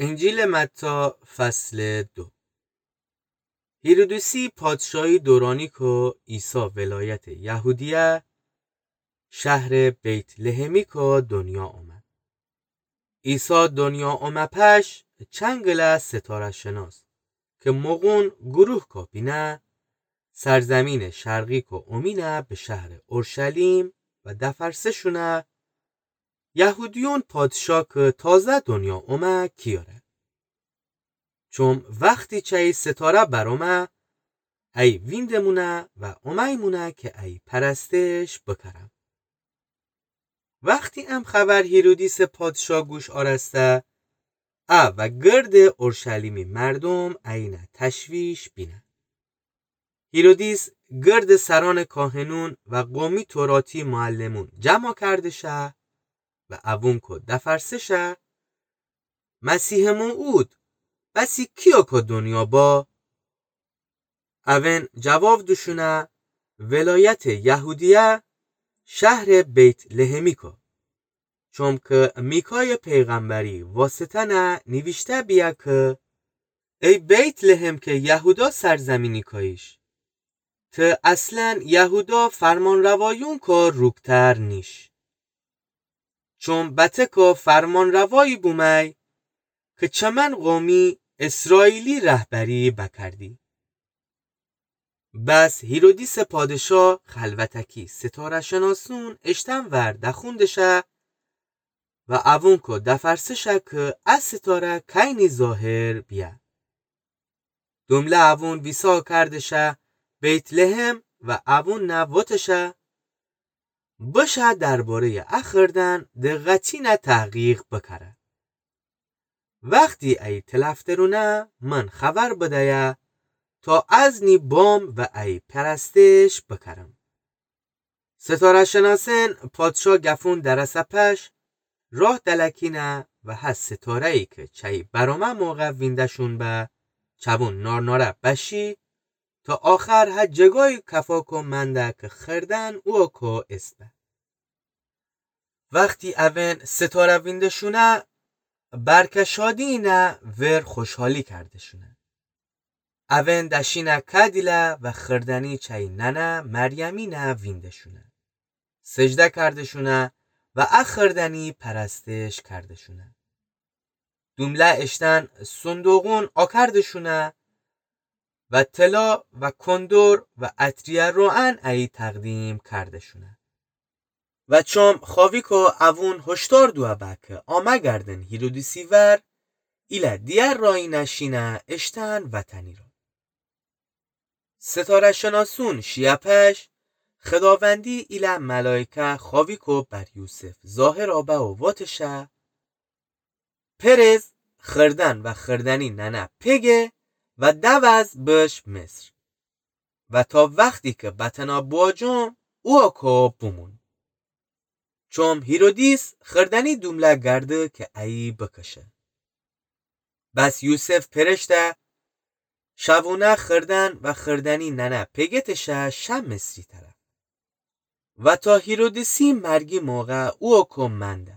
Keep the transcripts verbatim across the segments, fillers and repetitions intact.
انجیلٚ متی، فصلٚ دو. هیرودیسی پادشاهی دورانی کو عیسی ولایتٚ یهودیه، شهرٚ بیت‌لحمی کو دنیا اومه. عیسی دنیا اومه پش، چنگله ستاره‌شناس که مغون گروه کو بینه، سرزمینٚ شرقی کو اومینه به شهرٚ اورشلیم و دفرسه‌شونه: یهودیون پادشاه که تازه دنیا اومه کیاره؟ چوم وختی چی ستاره برآمه، ای ویندمونه و اومیمونه که ای پرستش بکرم. وختی ام خبر هیرودیسٚ پادشاه گوش آرسته، ا و گردٚ اورشلیمی مردوم اینه تشویش بینه. هیرودیس گردٚ سرانٚ کاهنون و قومی توراتی معلمون جمع کرده‌شه و اوون کو دفرسه‌شه: مسیحٚ موعود، بسی کیو کو دنیا با؟ اوین جواب دوشونه: ولایتٚ یهودیه، شهرٚ بیت‌لحمی کو. چوم که میکایٚ پیغمبری واسطه نه نیویشته بیه که: ای بیت‌لحم که یهودا سرزمینی کاییش، ته اصلاً یهودا فرمانروایون کو روکتر نیش. چوم بته کو فرمانروایی بومی که چمن قومی اسرائیلی رهبری بکردی. بس هیرودیسٚ پادشاه خلوتکی ستاره‌شناسون اشتن ور دخوندشه و اوون کو دفرسه‌شه که ا ستاره کینی ظاهر بیه. دومله اوون ویسا کردشه بیت‌لحم و اوون نه وتشه: بشه درباره‌یٚ ا خردن دقتی نه تحقیق بکره. وختی ای تلف درونه من خبر بدیه تا از نی بام و ای پرستش بکرم. ستاره‌شناسن پادشاه گفون درسه پش، راه دلکینه و هه ستاره‌یی که چی برامه موقع وینده‌شون به، چوون نارناره بشی تا آخر هه جگایی کفا کو منده که خردن او کو اسبه. وختی اوین ستاره وینده‌شونه، برکه شادی نه ور خوشحالی کرده‌شونه. اوین دشینه کدیله و خردنی چی ننه مریمی نه وینده‌شونه. سجده کرده‌شونه و ا خردنی پرستش کرده‌شونه. دومله اشتن صندوقون آکرده‌شونه و طلا و کندر و عطریه روعن ای تقدیم کرده‌شونه. و چوم خاویکو اوون هشدار دوه به که آمه گردن هیرودیسی ور، ایله دیگر رایی نشینه اشتن وطنی را. ستاره‌شناسون شیه پش، خداوندی ایله ملائکه خاویکو بر یوسف ظاهر آبه و واتشه: پرز، خردن و خردنی ننه پگه و دوز بش مصر. و تا وختی که بتنا بواجوم، او کو بومون. چوم هیرودیس خردنی دومله گرده که ایی بکشه. بس یوسف پرشته، شوونه خردن و خردنی ننه پگتشه شه مصری طرف. و تا هیرودیسی مرگی موقع او کو منده.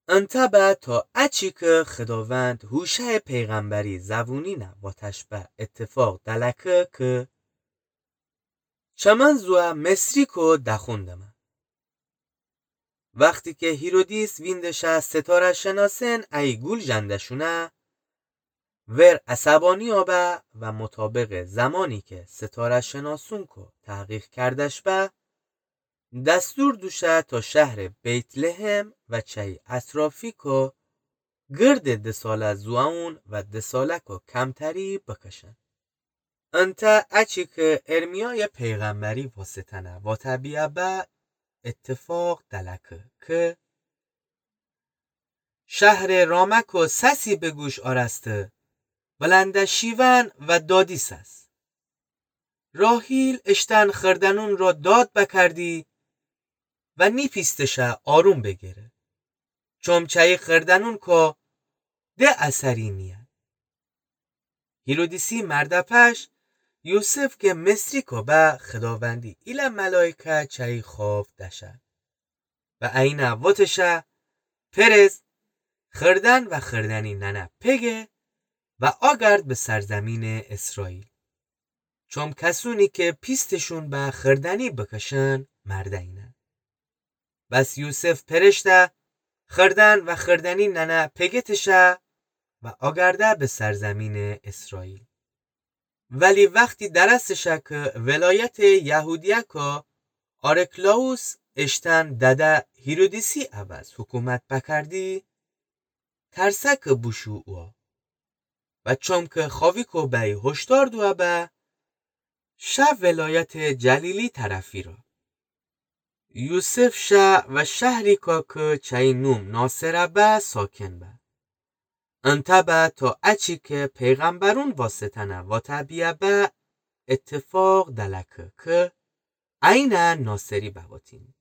انته به تا اچی که خداوند هوشع پیغمبری زوونی نه واتش به اتفاق دلکه که چمن زوه مصری کو دخوندمه. وختی که هیرودیس ویندشه ستاره‌شناسن ای گول جندشونه، ور عصبانی آبه و مطابق زمانی که ستاره‌شناسون کو تحقیق کردش به، دستور دوشه تا شهر بیت‌لحم و چی اطرافی کو گرد دساله زوئون و دساله کو کمتری بکشن. انته اچی که ارمیای پیغمبری واسطه نه واته بیه به اتفاق دلکه که شهر رامه کو سسی به گوش آرسته، بلنده شیون و دادی سس. راحیل اشتن خردنون را داد بکردی و نیپیستشه آروم بگیره. چوم چی خردنون کو ده اثری نیه. هیرودیسی مرده پش یوسف که مصری کو به خداوندی ایله ملائکه چی خواب دشه. و اینه واتشه، پرز، خردن و خردنی ننه پگه و آگرد به سرزمینٚ اسرائیل. چوم کسونی کی پیستشون به خردنی بکشن مرده‌ینه. بس یوسف پرشته، خردن و خردنی ننه پگه تشه و آگرده به سرزمینٚ اسرائیل. ولی وختی درسته شه کی ولایتٚ یهودیه کی آرکلائوس اشتن دده هیرودیسی عوض حکومت بکردی، ترسه کی بوشو اوه. و چوم کی خویکو بی هشدار دوه به، شه ولایتٚ جلیلی طرفی را. یوسف شه و شهریکا کی چی نوم ناصره به ساکن به. انتأ به تا اچی کی پیغمبرون واسطه‌نه واته بیه به اتفاق دلکه کی عینٚ ناصری بواتین.